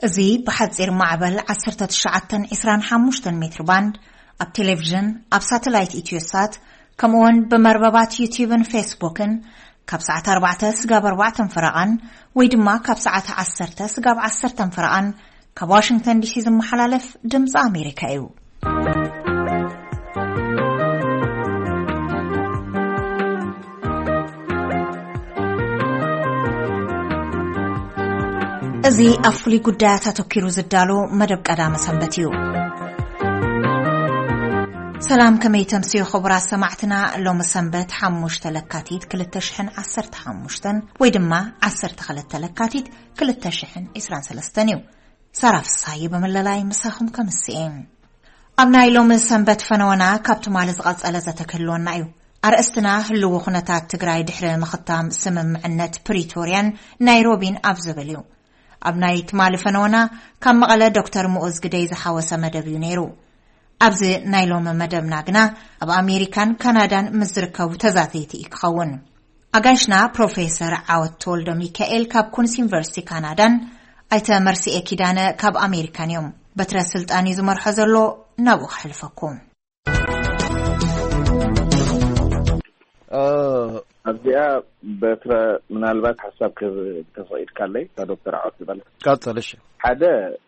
እዚ ብሓጺር ማዕበል ዓሰርተ ትሽዓተ ዕስራን ሓሙሽተን ሜትር ባንድ፣ ኣብ ቴሌቪዥን፣ ኣብ ሳተላይት ኢትዮሳት፣ ከምኡውን ብመርበባት ዩቲዩብን ፌስቡክን ካብ ሰዓት ኣርባዕተ ስጋብ ኣርባዕተን ፈረቓን ወይ ድማ ካብ ሰዓት ዓሰርተ ስጋብ ዓሰርተን ፈረቓን ካብ ዋሽንግተን ዲሲ ዝመሓላለፍ ድምፂ ኣሜሪካ እዩ። እዚ ኣብ ፍሉይ ጉዳያት ኣተኲሩ ዝዳሎ መደብ ቀዳመ ሰንበት እዩ። ሰላም፣ ከመይ ተምስዩ ክቡራት ሰማዕትና? ሎሚ ሰንበት ሓሙሽተ ለካቲት ክልተ ሽሕን ዓሰርተ ሓሙሽተን ወይ ድማ ዓሰርተ ክልተ ለካቲት ክልተ ሽሕን ዕስራን ሰለስተን እዩ። ሳራ ፍስሃየ ብምልላይ ምሳኹም ከምስኤ። ኣብ ናይ ሎሚ ሰንበት ፈነወና ካብ ትማሊ ዝቐጸለ ዘተ ክህልወና እዩ። ኣርእስትና ህልዊ ኩነታት ትግራይ ድሕሪ ምኽታም ስምምዕነት ፕሪቶርያን ናይሮቢን ኣብ ዝብል እዩ። ኣብ ናይ ትማሊ ፈነወና ካብ መቐለ ዶክተር ምኡዝ ግደይ ዝሓወሰ መደብ እዩ ነይሩ። ኣብዚ ናይ ሎሚ መደብና ግና ኣብ ኣሜሪካን ካናዳን ምስ ዝርከቡ ተዛተይቲ እዩ ክኸውን። ኣጋይሽና ፕሮፌሰር ዓወት ተወልደ ሚካኤል ካብ ኩንስ ዩኒቨርሲቲ ካናዳን ኣይተ መርሲኤ ኪዳነ ካብ ኣሜሪካን እዮም። በትረ ስልጣን እዩ ዝመርሖ ዘሎ፣ ናብኡ ክሕልፈኩም። ኣብዚኣ በትረ ምናልባት ሓሳብ ክህብ እንተፈቒድካለይ፣ እታ ዶክተር ዓወት ዝበለ። ቀጽል፣ እሺ። ሓደ፣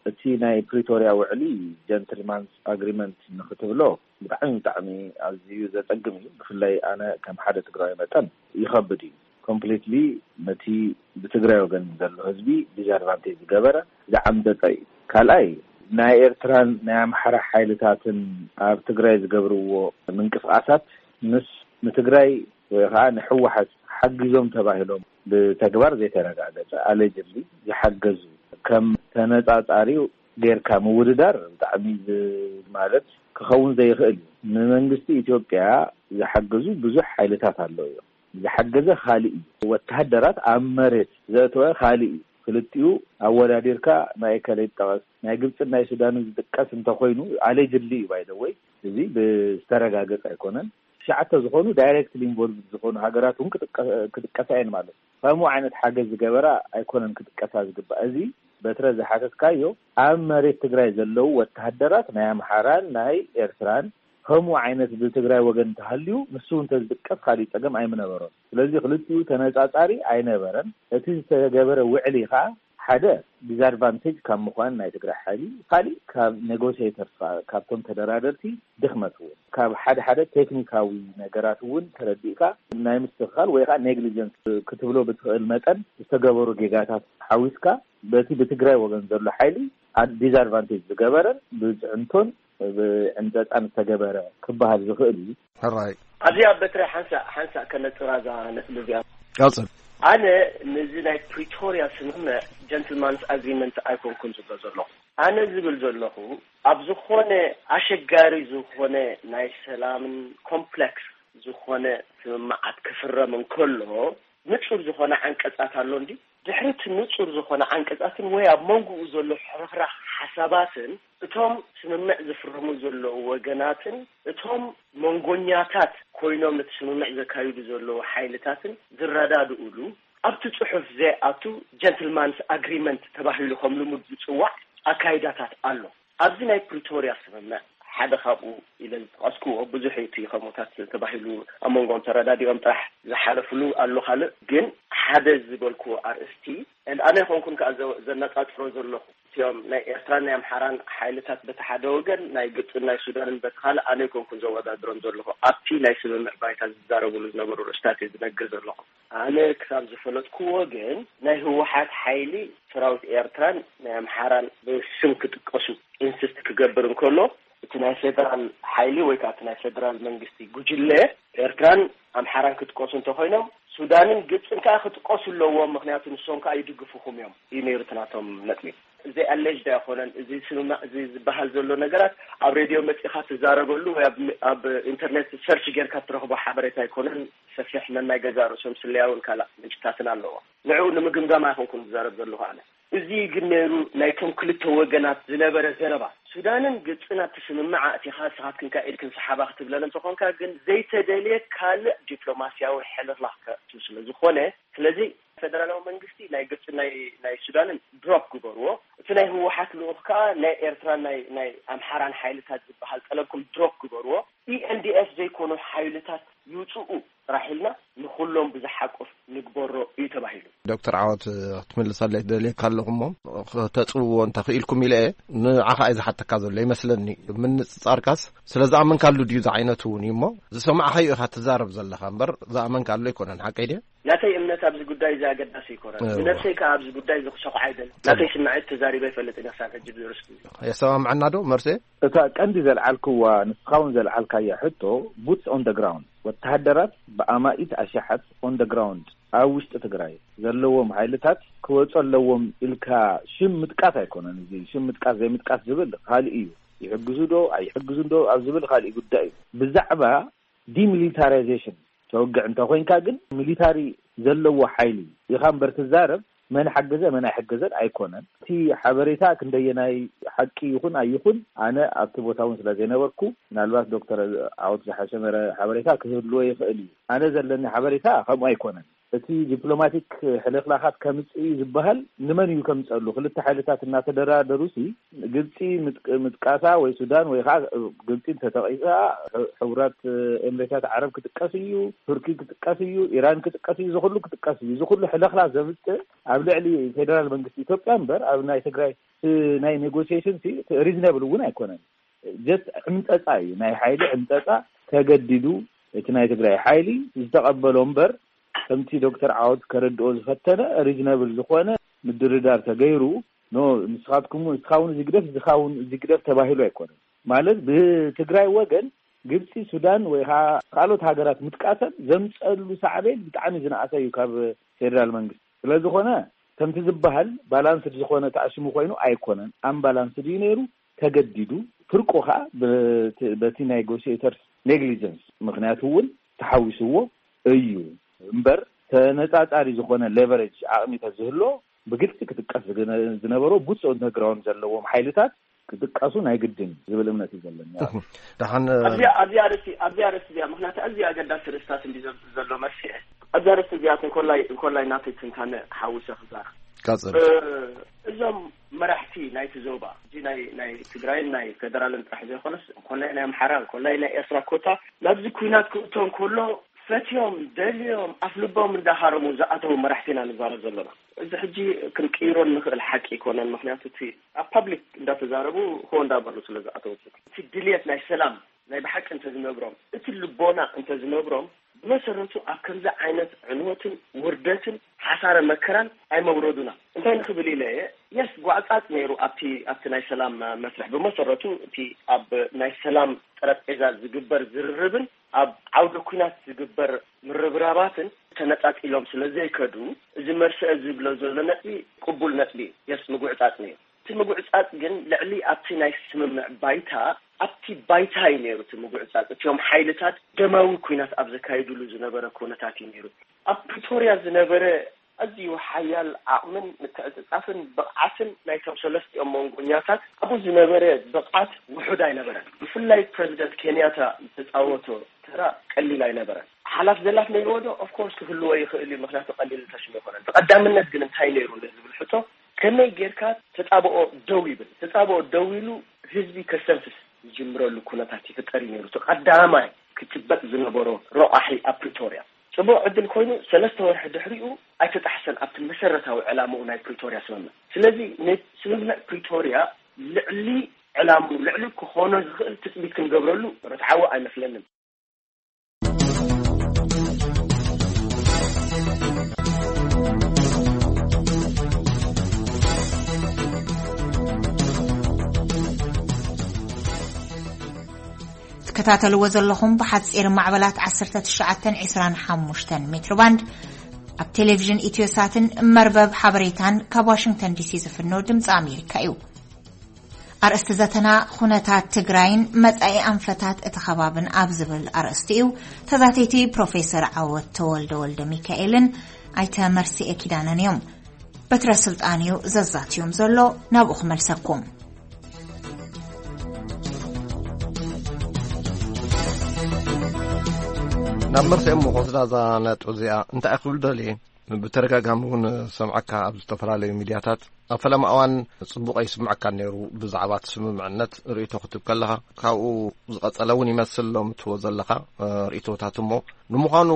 እቲ ናይ ፕሪቶርያ ውዕሊ ጀንትልማንስ ኣግሪመንት ንክትብሎ ብጣዕሚ፣ ብጣዕሚ ኣዝዩ ዘጸግም እዩ። ብፍላይ ኣነ ከም ሓደ ትግራዊ መጠን ይኸብድ እዩ። ኮምፕሊትሊ ነቲ ብትግራይ ወገን ዘሎ ህዝቢ ዲስኣድቫንቴጅ ዝገበረ፣ ዝዓምጸጸ እዩ። ካልኣይ፣ ናይ ኤርትራን ናይ ኣምሓራ ሓይልታትን ኣብ ትግራይ ዝገብርዎ ምንቅስቓሳት ምስ ንትግራይ ወይ ኸዓ ንህወሓት ሓጊዞም ተባሂሎም ብተግባር ዘይተረጋገጸ፣ ኣሌጅድሊ ዝሓገዙ፣ ከም ተነጻጻሪ ጌርካ ምውድዳር ብጣዕሚ ዝ-፣ ማለት ክኸውን ዘይኽእል እዩ። ንመንግስቲ ኢትዮጵያ ዝሓገዙ ብዙሕ ሓይልታት ኣለዉ እዮም። ዝሓገዘ ካልእ እዩ። ወተሃደራት ኣብ መሬት ዘእተወ ካልእ እዩ። ክልቲኡ ኣወዳዲርካ ናይ ከለይ ይጠቐስ፣ ናይ ግብፅን ናይ ሱዳንን ዝጥቀስ እንተኾይኑ፣ ኣሌጅድሊ እዩ ባይደወይ፣ እዚ ብዝተረጋገፀ ኣይኮነን። ትሽዓተ ዝኾኑ ዳይሬክትሊ ኢንቮልቭድ ዝኾኑ ሃገራት እውን ክጥቀ-፣ ክጥቀሳ እየን ማለት እዩ። ከምኡ ዓይነት ሓገዝ ዝገበራ ኣይኮነን ክጥቀሳ ዝግባእ። እዚ በትረ ዝሓተትካዮ፣ ኣብ መሬት ትግራይ ዘለዉ ወተሃደራት ናይ ኣምሓራን ናይ ኤርትራን ከምኡ ዓይነት ብትግራይ ወገን እንተሃልዩ፣ ንሱ እውን እንተዝጥቀስ ካሊእ ጸገም ኣይምነበሮን። ስለዚ ክልቲኡ ተነጻጻሪ ኣይነበረን። እቲ ዝተገበረ ውዕሊ ከኣ ሓደ ዲስኣድቫንቴጅ ካብ ምዃን ናይ ትግራይ ሓይሊ፣ ካሊእ ካብ ኔጎሽየተርስ፣ ካብቶም ተደራደርቲ ድኽመት እውን፣ ካብ ሓደ ሓደ ቴክኒካዊ ነገራት እውን ተረዲእካ ናይ ምስትኽኻል ወይ ከዓ ኔግሊጀንስ ክትብሎ ብትኽእል መጠን ዝተገበሩ ጌጋታት ሓዊስካ በቲ ብትግራይ ወገን ዘሎ ሓይሊ ዲስኣድቫንቴጅ ዝገበረን ብፅዕንቶን ብዕንፀፃን ዝተገበረ ክበሃል ዝኽእል እዩ። ሕራይ። ኣብዚኣ በትረ ሓንሳእ ሓንሳእ ከነፅራ እዛ ነጥቢ እዚኣ። ቀፅል። ኣነ ነዚ ናይ ፕሪቶርያ ስምምዕ ጀንትልማንስ ኣግሪመንት ኣይኮንኩን ዝብሎ ዘለኹ። ኣነ ዝብል ዘለኹ ኣብ ዝኾነ ኣሸጋሪ ዝኾነ ናይ ሰላምን ኮምፕሌክስ ዝኾነ ስምምዓት ክፍረም እንከሎ ንጹር ዝኾነ ዓንቀጻት ኣሎ እንዲ ድሕሪ እቲ ንጹር ዝኾነ ዓንቀጻትን ወይ ኣብ መንጎኡ ዘሎ ሕርኽራኽ ሓሳባትን እቶም ስምምዕ ዝፍርሙ ዘለዉ ወገናትን እቶም መንጎኛታት ኮይኖም ነቲ ስምምዕ ዘካይዱ ዘለዉ ሓይልታትን ዝረዳድኡሉ ኣብቲ ጽሑፍ ዘይኣቱ ጀንትልማንስ ኣግሪመንት ተባሂሉ ከም ልሙድ ዝጽዋዕ ኣካይዳታት ኣሎ። ኣብዚ ናይ ፕሪቶርያ ስምምዕ ሓደ ካብኡ ኢለ ዝጠቐስክዎ ብዙሕ እዩ እቲ ከምኡታት ተባሂሉ ኣብ መንጎኦም ተረዳዲኦም ጥራሕ ዝሓለፍሉ ኣሎ። ካልእ ግን ሓደ ዝበልክዎ ኣርእስቲ and ኣነ ይኾንኩን ከኣ ዘ-፣ ዘነጻጽሮ ዘለኹ እቲኦም ናይ ኤርትራን ናይ ኣምሓራን ሓይልታት በቲ ሓደ ወገን ናይ ግብጽን ናይ ሱዳንን በቲ ካልእ ኣነ ይኮንኩን ዘወዳድሮም ዘለኹ ኣብቲ ናይ ስምምዕ ባይታ ዝዛረብሉ ዝነበሩ ርእስታት እየ ዝነግር ዘለኹ። ኣነ ክሳብ ዝፈለጥክዎ ግን ናይ ህወሓት ሓይሊ ሰራዊት ኤርትራን ናይ ኣምሓራን ብስም ክጥቀሱ ኢንስስት ክገብር እንከሎ እቲ ናይ ፌደራል ሓይሊ ወይ ከዓ እቲ ናይ ፌደራል መንግስቲ ጉጅለ ኤርትራን ኣምሓራን ክጥቀሱ እንተኮይኖም ሱዳንን ግብፅን ከዓ ክጥቀሱ ኣለዎም፣ ምክንያቱ ንሶም ከዓ ይድግፉኹም እዮም እዩ ነይሩ እቲ ናቶም ነጥቢ። እዚ ኣለጅድ ኣይኮነን። እዚ ስምምዕ እዚ ዝበሃል ዘሎ ነገራት ኣብ ሬድዮ መፂኻ ትዛረበሉ ወይ ኣብ፣ ኣብ ኢንተርኔት ሰርች ጌርካ ትረኽቦ ሓበሬታ ኣይኮነን። ሰፊሕ ነናይ ገዛ ርእሶም ስለያውን ካልእ ምንጭታትን ኣለዎ። ንዕኡ ንምግምጋም ኣይኮንኩን ዝዛረብ ዘለኹ ኣነ። እዚ ግን ነይሩ ናይቶም ክልተ ወገናት ዝነበረ ዘረባ። ሱዳንን ግብፅን ኣብቲ ስምምዕ ኣእቲኻ ንስኻትክን ከኣ ኢድክን ሰሓባ ክትብለን እንተኾንካ ግን ዘይተደልየ ካልእ ዲፕሎማስያዊ ሕልኽላኽ ከእቱ ስለ ዝኾነ፣ ስለዚ ፈደራላዊ መንግስቲ ናይ ግብፅን ናይ፣ ናይ ሱዳንን ድሮፕ ግበርዎ። እቲ ናይ ህወሓት ልኡኽ ከኣ ናይ ኤርትራን ናይ ናይ ኣምሓራን ሓይልታት ዝበሃል ጠለብኩም ድሮፕ ግበርዎ፣ ኢኤንዲኤፍ ዘይኮኑ ሓይልታት ይውፅኡ ጥራሕ ኢልና ንኹሎም ብዝሓቁፍ ንግበሮ እዩ ተባሂሉ። ዶክተር ዓወት፣ ክትምልሰለይ ትደልየካ ኣለኹ እሞ፣ ከተጽውዎ እንተኽኢልኩም ኢለ እየ። ንዓኻ እየ ዝሓተካ ዘሎ ይመስለኒ። ምንጽጻርካስ ስለ ዝኣመንካሉ ድዩ ዝዓይነቱ እውን እዩ እሞ፣ ዝሰማዕኻዮ ኢኻ ትዛረብ ዘለኻ እምበር፣ ዝኣመንካሉ ኣይኮነን። ሓቀይ ድየ? ናተይ እምነት ኣብዚ ጉዳይ እዚ ኣገዳሲ ኣይኮነን። እወ። ብነብሰይ ከኣ ኣብዚ ጉዳይ እዚ ክሸቑ ኣይደልን። ጽቡቕ። ናተይ ስምዒት ተዛሪበ ይፈልጥ እየ ክሳብ ሕጂ ብዝርስ ግዜ። የሰማምዐና ዶ መርሴ? እታ ቀንዲ ዘልዓልክዋ፣ ንስኻ እውን ዘልዓልካያ ሕቶ፣ boots on the ground፣ ወተሃደራት ብኣማኢት ኣሽሓት on the ground ኣብ ውሽጢ ትግራይ ዘለዎም ሓይልታት ክወፁ ኣለዎም ኢልካ ሽም ምጥቃስ ኣይኮነን። እዚ ሽም ምጥቃስ ዘይምጥቃስ ዝብል ካልእ እዩ። ይሕግዙ ዶ ኣይሕግዙን ዶ ኣብ ዝብል ካልእ ጉዳይ እዩ። ብዛዕባ ዲሚሊታራይዜሽን ተወግዕ እንተኮይንካ ግን፣ ሚሊታሪ ዘለዎ ሓይሊ ኢኻ እምበር ትዛረብ፣ መን ሓገዘ መን ኣይሕገዘን ኣይኮነን። እቲ ሓበሬታ ክንደየናይ ሓቂ ይኹን ኣይኹን፣ ኣነ ኣብቲ ቦታ እውን ስለ ዘይነበርኩ፣ ምናልባት ዶክተር ዓወት ዝሓሸ መረ ሓበሬታ ክህልዎ ይኽእል እዩ። ኣነ ዘለኒ ሓበሬታ ከምኡ ኣይኮነን። እቲ ዲፕሎማቲክ ሕልኽላኻት ከምጽእ እዩ ዝበሃል ንመን እዩ ከምጸሉ? ክልተ ሓይልታት እናተደራደሩሲ፣ ግብጺ ምጥቅ-፣ ምጥቃሳ ወይ ሱዳን ወይ ከዓ ግብጺ እንተተጠቂሳ፣ ሕ-፣ ሕቡራት ኤምሬታት ዓረብ ክጥቀስ እዩ፣ ቱርኪ ክጥቀስ እዩ፣ ኢራን ክጥቀስ እዩ፣ እዚ ኩሉ ክጥቀስ እዩ። እዚ ኩሉ ሕልኽላኽ ዘምጽእ ኣብ ልዕሊ ፌደራል መንግስቲ ኢትዮጵያ እምበር ኣብ ናይ ትግራይ እ፣ ናይ ኔጎሲዬሽን ሲ ሪዝነብል እውን ኣይኮነን። ጀስት ዕምጠጻ እዩ፣ ናይ ሓይሊ ዕምጠጻ። ተገዲዱ እቲ ናይ ትግራይ ሓይሊ ዝተቐበሎ እምበር፣ ከምቲ ዶክተር ዓወት ከረድኦ ዝፈተነ፣ ሪዝነብል ዝኾነ ምድርዳር ተገይሩ፣ ኖ፣ ንስኻትኩም፣ ንስኻ እውን እዚ ግደፍ፣ ንስኻ እውን እዚ ግደፍ ተባሂሉ ኣይኮነን። ማለት ብትግራይ ወገን ግብፂ፣ ሱዳን ወይ ከዓ ካልኦት ሃገራት ምጥቃሰን ዘምፀሉ ሳዕቤን ብጣዕሚ ዝነኣሰ እዩ ካብ ፌደራል መንግስቲ። ስለ ዝኾነ ከምቲ ዝበሃል ባላንስድ ዝኾነ ተኣሽሙ ኮይኑ ኣይኮነን፣ ኣምባላንስድ እዩ ነይሩ። ተገዲዱ፣ ፍርቁ ከዓ በቲ፣ በቲ ኔጎሽየተርስ ኔግሊጀንስ ምኽንያቱ እውን ተሓዊስዎ እዩ እምበር፣ ተነፃፃሪ ዝኾነ ሌቨሬጅ ዓቕሚ ተዝህሎ ብግልፂ ክጥቀስ ዝገነ-፣ ዝነበሮ ቡትስ ኦን ግራውንድ ዘለዎም ሓይልታት ክጥቀሱ ናይ ግድን ዝብል እምነት እዩ ዘለኒ። ደሓን ኣብዚ ኣብዚ ኣርእስቲ ኣብዚ ኣርእስቲ እዚኣ፣ ምክንያቱ ኣዝዩ ኣገዳሲ ርእስታት እንዲ ዘምፅእ ዘሎ መርሲዐ ኣብዚ ኣርእስቲ እዚኣ እንኮላይ እንኮላይ ናተይ ትንታነ ሓዊሰ ክዛረብ። ቀጽል። እ፣ እዞም መራሕቲ ናይቲ ዞባ፣ እዚ ናይ ናይ ትግራይን ናይ ፌደራልን ጥራሕ ዘይኮነስ፣ እንኮላይ ናይ ኣምሓራ፣ እንኮላይ ናይ ኤርትራ ኮታ ናብዚ ኩናት ክእቶ እንከሎ ፈትዮም ደልዮም ኣፍ ልቦም እንዳሃረሙ ዝኣተዉ መራሕቲ ኢና ንዛረብ ዘለና። እዚ ሕጂ ክንቅይሮ እንኽእል ሓቂ ኣይኮነን። ምክንያቱ እቲ ኣብ ፓብሊክ እንዳተዛረቡ ሆ እንዳበሉ ስለ ዝኣተዉ፣ እቲ ድልየት ናይ ሰላም፣ ናይ ብሓቂ እንተዝነብሮም፣ እቲ ልቦና እንተዝነብሮም፣ ብመሰረቱ ኣብ ከምዚ ዓይነት ዕንወትን ውርደትን ሓሳረ መከራን ኣይመውረዱና። እንታይ ንኽብል ኢለ እየ፣ የስ፣ ጓዕጻጽ ነይሩ ኣብቲ፣ ኣብቲ ናይ ሰላም መስርሕ። ብመሰረቱ እቲ ኣብ ናይ ሰላም ጠረጴዛ ዝግበር ዝርርብን ኣብ ዓውደ ኲናት ዝግበር ምርብራባትን ተነጻጺሎም ስለ ዘይከዱ፣ እዚ መርስአ ዝብሎ ዘሎ ነጥቢ ቅቡል ነጥቢ እዩ። የስ፣ ምጉዕጻጽ ነይሩ። እቲ ምጉዕጻጽ ግን ልዕሊ ኣብቲ ናይ ስምምዕ ባይታ፣ ኣብቲ ባይታ እዩ ነይሩ እቲ ምጉዕጻጽ። እቲኦም ሓይልታት ደማዊ ኲናት ኣብ ዘካይድሉ ዝነበረ ኩነታት እዩ ነይሩ። ኣብ ፕሪቶርያ ዝነበረ ኣዝዩ ሓያል ዓቕምን ምትዕጽጻፍን ብቕዓትን ናይቶም ሰለስቲኦም መንጎኛታት፣ ኣብኡ ዝነበረ ብቕዓት ውሑድ ኣይነበረን። ብፍላይ ፕረዚደንት ኬንያታ ዝተጻወቶ ተራ ቀሊል ኣይነበረን። ሓላፍ ዘላፍ ነይርዎ ዶ? ኦፍኮርስ ክህልዎ ይኽእል እዩ፣ ምኽንያቱ ቀሊል ተሽሙ ኣይኮነን። ብቐዳምነት ግን እንታይ ነይሩ ንዝብል ሕቶ፣ ከመይ ጌርካ ተጻብኦ ደው ይብል? ተጻብኦ ደው ኢሉ ህዝቢ ከስተንፍስ ዝጅምረሉ ኩነታት ይፍጠር እዩ ነይሩ። እቲ ቀዳማይ ክጭበጥ ዝነበሮ ረቋሒ ኣብ ፕሪቶርያ። ጽቡቕ ዕድል ኮይኑ፣ ሰለስተ ወርሒ ድሕሪኡ ኣይተጣሕሰን ኣብቲ መሰረታዊ ዕላምኡ ናይ ፕሪቶርያ ስምምዕ። ስለዚ፣ ነ-፣ ስምምዕ ፕሪቶርያ ልዕሊ ዕላምኡ፣ ልዕሊ ክኾኖ ዝኽእል ትጽቢት ክንገብረሉ ርትዓዊ ኣይመስለንን። ትከታተልዎ ዘለኹም ብሓጺር ማዕበላት ዓሰርተ ትሽዓተን ዕስራን ሓሙሽተን ሜትሮ ባንድ ኣብ ቴሌቪዥን ኢትዮሳትን መርበብ ሓበሬታን ካብ ዋሽንግተን ዲሲ ዝፍኖ ድምፂ ኣሜሪካ እዩ። ኣርእስቲ ዘተና ኩነታት ትግራይን መጻኢ ኣንፈታት እቲ ከባብን ኣብ ዝብል ኣርእስቲ እዩ። ተዛተይቲ ፕሮፌሰር ዓወት ተወልደ ወልደ ሚካኤልን ኣይተ መርስኤ ኪዳነን እዮም። በትረ ስልጣን እዩ ዘዛትዮም ዘሎ። ናብኡ ክመልሰኩም። ናብ መርስኤ እሞ ክወስዳ እዛ ነጥቢ እዚኣ እንታይ ክብል ደልየ? ብተደጋጋሚ እውን ሰምዓካ ኣብ ዝተፈላለዩ ሚድያታት ኣብ ፈለማ እዋን ጽቡቕ ኣይስምዐካን ነይሩ። ብዛዕባ እቲ ስምምዕነት ርእይቶ ክትብ ከለኻ ካብኡ ዝቐጸለ እውን ይመስል ሎም ትዎ ዘለኻ ርእይቶታት። እሞ ንምዃኑ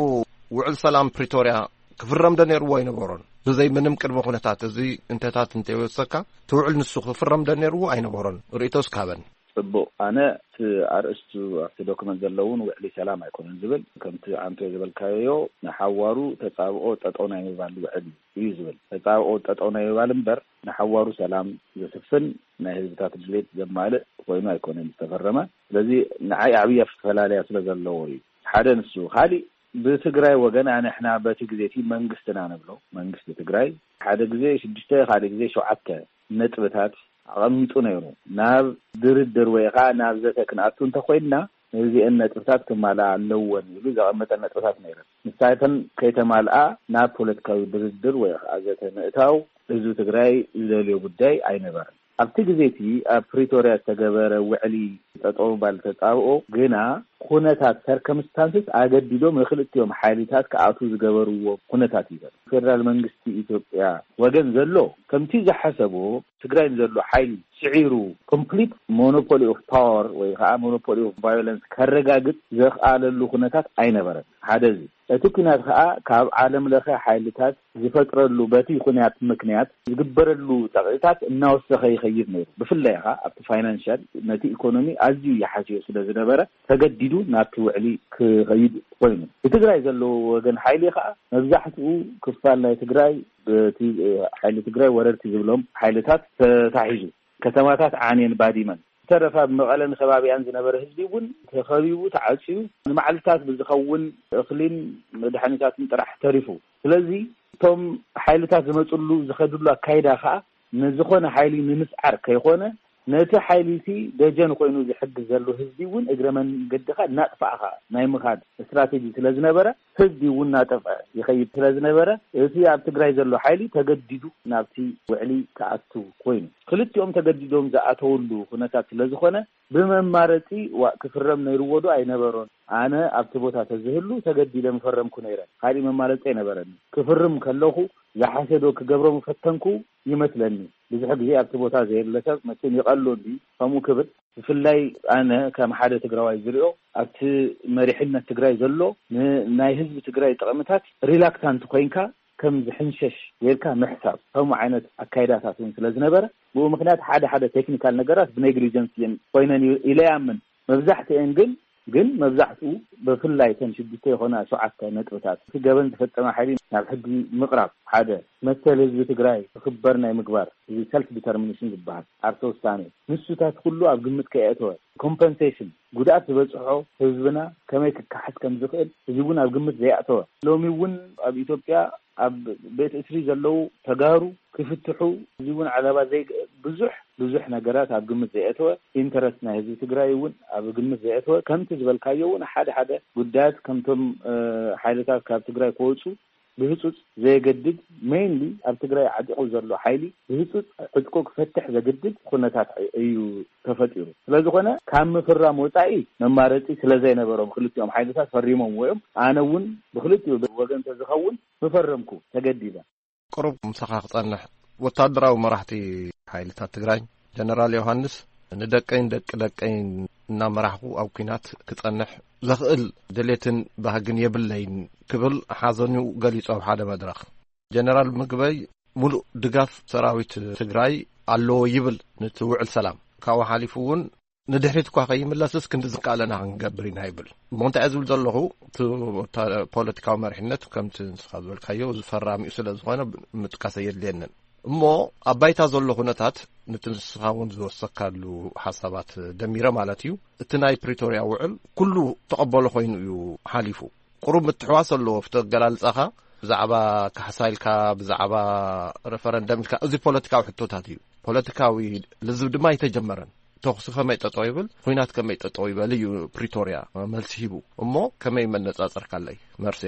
ውዕል ሰላም ፕሪቶርያ ክፍረም ዶ ነይርዎ ኣይነበሮን? ብዘይ ምንም ቅድመ ኩነታት እዚ እንተታት እንተይወሰካ እቲ ውዕል ንሱ ክፍረም ዶ ነይርዎ ኣይነበሮን? ርእይቶ እስካበን። ጽቡቕ። ኣነ እቲ ኣርእስቱ ኣብቲ ዶክመንት ዘለውን ውዕሊ ሰላም ኣይኮነን ዝብል፣ ከምቲ ኣንተ ዝበልካዮ ንሓዋሩ ተጻብኦ ጠጠው ናይ ምባል ውዕል እዩ ዝብል። ተጻብኦ ጠጠው ናይ ምባል እምበር ንሓዋሩ ሰላም ዘስፍን ናይ ህዝብታት ድሌት ዘማልእ ኮይኑ ኣይኮነን ዝተፈረመ። ስለዚ ንዓይ ዓብያ ፍፈላለያ ስለ ዘለዎ እዩ። ሓደ ንሱ። ካሊእ ብትግራይ ወገን ኣንሕና በቲ ግዜ እቲ መንግስትና ንብሎ መንግስቲ ትግራይ ሓደ ግዜ ሽዱሽተ ካልእ ግዜ ሸውዓተ ነጥብታት ኣቐሚጡ ነይሩ። ናብ ድርድር ወይ ኸዓ ናብ ዘተ ክንኣቱ እንተኾይንና እዚአን ነጥብታት ክማልኣ ኣለወን ኢሉ ዘቐመጠ ነጥብታት ነይረን። ንሳተን ከይተማልኣ ናብ ፖለቲካዊ ድርድር ወይ ኸዓ ዘተ ምእታው ህዝቢ ትግራይ ዝደልዮ ጉዳይ ኣይነበረን። ኣብቲ ግዜ እቲ ኣብ ፕሪቶርያ ዝተገበረ ውዕሊ ጠጠው ባል ተጻብኦ ግና ኩነታት ሰርከምስታንስስ ኣገዲዶም ንክልቲኦም ሓይልታት ክኣትዉ ዝገበርዎ ኩነታት እዩ ዘሎ። ፌደራል መንግስቲ ኢትዮጵያ ወገን ዘሎ ከምቲ ዝሓሰቦ ትግራይ ንዘሎ ሓይሊ ስዒሩ ኮምፕሊት ሞኖፖሊ ኦፍ ፓወር ወይ ከዓ ሞኖፖሊ ኦፍ ቫዮለንስ ከረጋግጽ ዘኽኣለሉ ኩነታት ኣይነበረን። ሓደ እዚ። እቲ ኩናት ከዓ ካብ ዓለም ለኸ ሓይልታት ዝፈጥረሉ በቲ ኩናት ምክንያት ዝግበረሉ ጸቕጥታት እናወሰኸ ይኸይድ ነይሩ። ብፍላይ ከዓ ኣብቲ ፋይናንሻል ነቲ ኢኮኖሚ ኣዝዩ ይሓስዮ ስለ ዝነበረ ተገዲዱ ናብቲ ውዕሊ ክኸይድ ኮይኑ። ብትግራይ ዘለዎ ወገን ሓይሊ ከዓ መብዛሕትኡ ክፋል ናይ ትግራይ በቲ ሓይሊ ትግራይ ወረርቲ ዝብሎም ሓይልታት ተታሒዙ። ከተማታት ዓንየን ባዲመን ዝተረፈ ኣብ መቐለን ከባቢኣን ዝነበረ ህዝቢ እውን ተኸቢቡ ተዓፅዩ ንመዓልታት ብዝኸውን እኽሊን መድሓኒታትን ጥራሕ ተሪፉ። ስለዚ እቶም ሓይልታት ዝመፅሉ ዝኸድሉ ኣካይዳ ከዓ ንዝኾነ ሓይሊ ንምስዓር ከይኾነ ነቲ ሓይሊ እቲ ደጀን ኮይኑ ዝሕግዝ ዘሎ ህዝቢ እውን እግረ መንገድኻ እናጥፋእኻ ናይ ምኻድ ስትራቴጂ ስለ ዝነበረ ህዝቢ እውን እናጠፍዐ ይኸይድ ስለ ዝነበረ እቲ ኣብ ትግራይ ዘሎ ሓይሊ ተገዲዱ ናብቲ ውዕሊ ክኣቱ ኮይኑ። ክልቲኦም ተገዲዶም ዝኣተውሉ ኩነታት ስለ ዝኾነ ብመማረፂ ዋእ ክፍረም ነይርዎ ዶ ኣይነበሮን? ኣነ ኣብቲ ቦታ ተዝህሉ ተገዲደ ምፈረምኩ ነይረ። ካሊእ መማረፂ ኣይነበረኒ። ክፍርም ከለኹ ዝሓሸዶ ክገብሮ ምፈተንኩ ይመስለኒ። ብዙሕ ግዜ ኣብቲ ቦታ ዘየለ ሰብ መቸም ይቐሎ እንዲ ከምኡ ክብል። ብፍላይ ኣነ ከም ሓደ ትግራዋይ ዝሪኦ ኣብቲ መሪሕነት ትግራይ ዘሎ ንናይ ህዝቢ ትግራይ ጥቕምታት ሪላክታንት ኮይንካ ከም ዝሕንሸሽ ጌርካ ምሕሳብ ከምኡ ዓይነት ኣካይዳታት እውን ስለ ዝነበረ ብኡ ምክንያት ሓደ ሓደ ቴክኒካል ነገራት ብኔግሊጀንስ እየን ኮይነን እዩ ኢለ ይኣምን። መብዛሕትአን ግን ግን መብዛሕትኡ ብፍላይ እተን ሽዱሽተ ይኾና ሸውዓተ ነጥብታት እቲ ገበን ዝፈጸመ ሓይሊ ናብ ሕጊ ምቕራብ ሓደ መሰል ህዝቢ ትግራይ ክኽበር ናይ ምግባር እዚ ሰልፍ ዲተርሚኔሽን ዝበሃል ዓርሰ ውሳኔ ንሱታት ኩሉ ኣብ ግምት ከየእተወ ኮምፐንሴሽን ጉድኣት ዝበፅሖ ህዝብና ከመይ ክከሓስ ከም ዝኽእል እዚ እውን ኣብ ግምት ዘይኣተወ ሎሚ እውን ኣብ ኢትዮጵያ ኣብ ቤት እስሪ ዘለዉ ተጋሩ ክፍትሑ እዚ እውን ዓለባ ዘይ ብዙሕ ብዙሕ ነገራት ኣብ ግምት ዘየእተወ ኢንተረስት ናይ ህዝቢ ትግራይ እውን ኣብ ግምት ዘየእተወ ከምቲ ዝበልካዮ እውን ሓደ ሓደ ጉዳያት ከምቶም ሓይልታት ካብ ትግራይ ክወፁ ብህፁፅ ዘየገድድ ሜይንሊ ኣብ ትግራይ ዓጢቑ ዘሎ ሓይሊ ብህፁፅ ዕጥቁ ክፈትሕ ዘግድድ ኩነታት እዩ ተፈጢሩ። ስለዝኾነ ካብ ምፍራም ወፃኢ መማረፂ ስለዘይነበሮም ክልቲኦም ሓይልታት ፈሪሞም እዮም። ኣነ እውን ብክልቲኡ ወገን ተዝኸውን ምፈረምኩ ተገዲደ። ቅሩብ ምሳኻ ክጸንሕ ወታደራዊ መራሕቲ ሓይልታት ትግራይ ጀነራል ዮሃንስ ንደቀይን ደቂ ደቀይን እናመራሕኹ ኣብ ኲናት ክጸንሕ ዘኽእል ድሌትን ባህግን የብለይን ክብል ሓዘኑ ገሊጹ ኣብ ሓደ መድረኽ። ጀነራል ምግበይ ሙሉእ ድጋፍ ሰራዊት ትግራይ ኣለዎ ይብል ነቲ ውዕል ሰላም። ካብኡ ሓሊፉ እውን ንድሕሪት እኳ ከይምለስስ ክንዲ ዝከኣለና ክንገብር ኢና ይብል። እሞ እንታይ ዝብል ዘለኹ እቲ ፖለቲካዊ መሪሕነት ከምቲ ንስኻ ዝበልካዮ ዝፈራሚኡ ስለ ዝኾነ ምጥቃስ ኣየድልየንን። እሞ ኣብ ባይታ ዘሎ ኩነታት ነቲ ንስኻ እውን ዝወሰካሉ ሓሳባት ደሚረ ማለት እዩ። እቲ ናይ ፕሪቶርያ ውዕል ኩሉ ተቐበሎ ኮይኑ እዩ ሓሊፉ። ቁሩብ ምትሕዋስ ኣለዎ ኣብቲ ኣገላልጻኻ ብዛዕባ ካሕሳ ኢልካ ብዛዕባ ረፈረንደም ኢልካ እዚ ፖለቲካዊ ሕቶታት እዩ። ፖለቲካዊ ልዝብ ድማ ኣይተጀመረን። ተኹሲ ከመይ ጠጠው ይብል፣ ኹናት ከመይ ጠጠው ይበል እዩ ፕሪቶርያ መልሲ ሂቡ። እሞ ከመይ መነጻጸርካለይ መርሴ?